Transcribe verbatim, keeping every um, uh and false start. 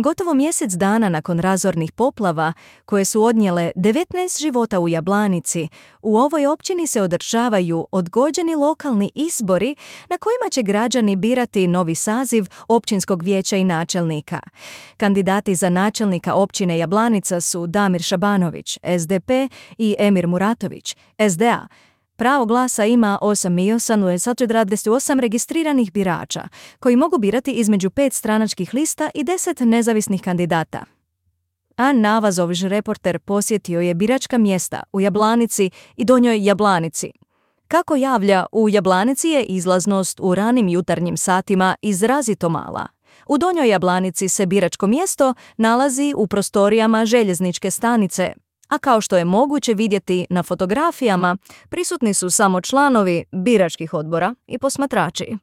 Gotovo mjesec dana nakon razornih poplava, koje su odnijele devetnaest života u Jablanici, u ovoj općini se održavaju odgođeni lokalni izbori na kojima će građani birati novi saziv općinskog vijeća i načelnika. Kandidati za načelnika općine Jablanica su Damir Šabanović, S D P, i Emir Muratović, S D A. Pravo glasa ima osam milijuna sedamsto dvadeset osam registriranih birača, koji mogu birati između pet stranačkih lista i deset nezavisnih kandidata. A Navazović reporter posjetio je biračka mjesta u Jablanici i Donjoj Jablanici. Kako javlja, u Jablanici je izlaznost u ranim jutarnjim satima izrazito mala. U Donjoj Jablanici se biračko mjesto nalazi u prostorijama željezničke stanice, a kao što je moguće vidjeti na fotografijama, prisutni su samo članovi biračkih odbora i posmatrači.